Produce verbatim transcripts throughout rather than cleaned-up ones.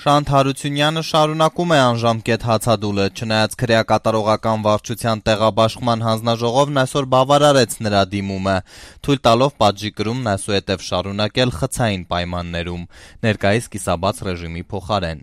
Շանթ Հարությունյանը շարունակում է անժամկետ հացադուլը, չնայած քրեակատարողական վարչության տեղաբաշխման հանձնաժողովն այսօր բավարարեց նրա դիմումը, թույլ տալով պատժի կրումն այսուհետև շարունակել խցային պայմաններում, ներկայիս կիսաբաց ռեժիմի փոխարեն։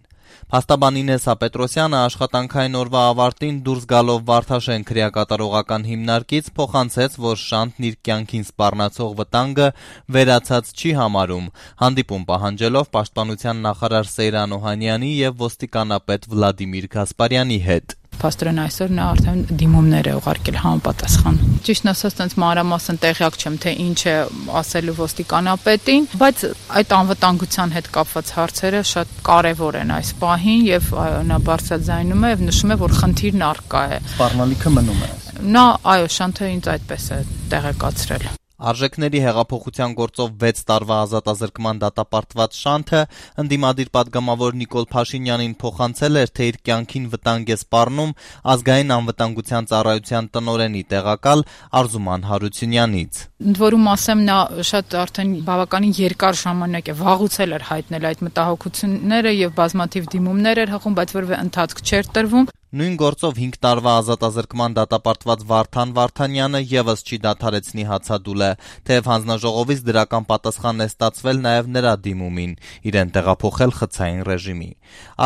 Փաստաբան Ինեսսա Պետրոսյանը աշխատանքային օրվա ավարտին դուրս գալով Վարդաշեն քրեակատարողական հիմնարկից փոխանցեց, որ Շանթն իր կյանքին սպառնացող վտանգը վերացած չի համարում, հանդիպում պահանջելով պաշտպանության նախարար Սեյրան Օհանյանի եւ ոստիկանապետ Վլադիմիր Գասպարյանի հետ։ Փաստորեն այսօր նա արդեն դիմումներ է ուղարկել համապատասխան։ Ճիշտն ասած, այնց մանրամասն տեղյակ չեմ, թե ինչ է ասելու ոստիկանապետին, բայց այդ անվտանգության հետ կապված հարցերը շատ կարևոր են այս պահին եւ նա բարձրաձայնում է եւ նշում է, որ խնդիրն առկա է։ Սպառնալիքը մնում է։ Նա, այո, Շանթը ինձ այդպես է տեղեկացրել։ Արժեքների հեղափոխության գործով վեց տարվա ազատազրկման դատապարտված Շանթը ընդդիմադիր պատգամավոր Նիկոլ Փաշինյանին փոխանցել էր, թե իր կյանքին վտանգ է սպառնում ազգային անվտանգության ծառայության տնօրենի տեղակալ Արզուման Հարությունյանից։ Ընդ որում ասեմ, նա շատ արդեն բավականին երկար ժամանակ է վաղուց էր հայտնել այդ մտահոգությունները եւ բազմաթիվ դիմումներ էր հղում, բայց որևէ ընթացք չէր տրվում։ Նույն գործով հինգ տարվա ազատազրկման դատապարտված Վարդան Վարդանյանը եւս չի դադարեցնի հացադուլը, թեև հանձնաժողովից դրական պատասխան է ստացվել նաեւ նրա դիմումին, իրեն տեղափոխել խցային ռեժիմի։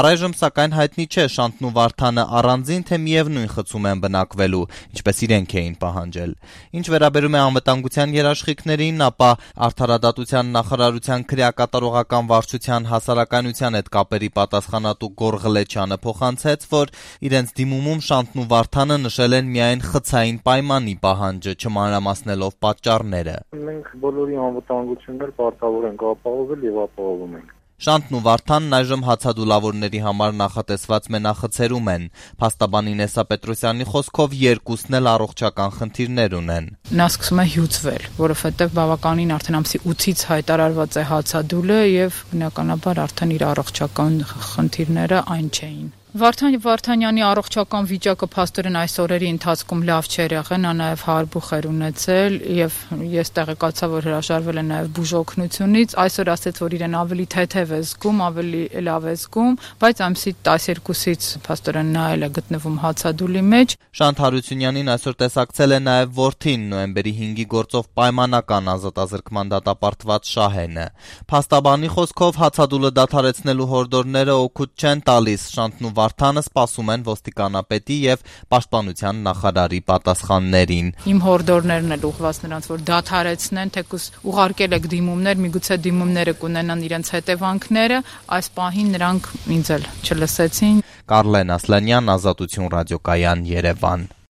Առայժմ սակայն հայտնի չէ Շանթն ու Վարդանը առանձին թե միևնույն խցում են բնակվելու, ինչպես իրենք էին պահանջել։ Ինչ վերաբերում է անվտանգության երաշխիքներին, ապա Արդարադատության նախարարության քրեակատարողական վարչության հասարակայնության հետ կապերի պատասխանատու Գոր Ղլեչյանը փոխանցեց, որ իրենց դիմումում Շանթն ու Վարդանը նշել են միայն խցային պայմանի պահանջը, չմանրամասնելով պատճառները։ Մենք բոլորի անվտանգություններ պարտավոր ենք ապահովել եւ ապահովում ենք։ Շանթն ու Վարդանն այժմ հացադուլավորների համար նախատեսված մենախցերում են։ Փաստաբան Ինեսսա Պետրոսյանի խոսքով երկուսն էլ առողջական խնդիրներ ունեն։ Նա սկսում է հյուծվել, որովհետեւ բավականին արդեն ամսի ութից հայտարարված է հացադուլը եւ բնականաբար արդեն իր առողջական խնդիրները այն չէին։ Վարդան Վարդանյանի առողջական վիճակը փաստորեն այս օրերի ընթացքում լավ չէր եղել, նա նաև հարբուխ էր ունեցել եւ ես տեղեկացա, որ հրաժարվել է նաև բուժօգնությունից, այսօր ասաց, որ իրեն ավելի թեթև է զգում, ավելի լավ է զգում, բայց ամսի տասներկուսից փաստորեն նա էլ է գտնվում հացադուլի մեջ։ Շանթ Հարությունյանին այսօր տեսակցել է նաև որդին, նոյեմբերի հինգի գործով պայմանական ազատազրկման դատապարտված Շահենը։ Փաստաբանի խոսքով հացադուլը դադարեցնելու հորդորները օգուտ չեն տալիս, Շանթն ու Վարդանը սպասում են ոստիկանապետի եւ պաշտպանության նախարարի պատասխաններին։ Իմ հորդորներն էլ ուղղված նրանց, որ դադարեցնեն, թեկուզ ուղարկել եք դիմումներ, միգուցե դիմումները կունենան իրենց հետևանքները, այս պահին նրանք ինձ էլ չլսեցին։ Կարլեն Ասլանյան, Ազատություն ռադիոկայան, Երևան։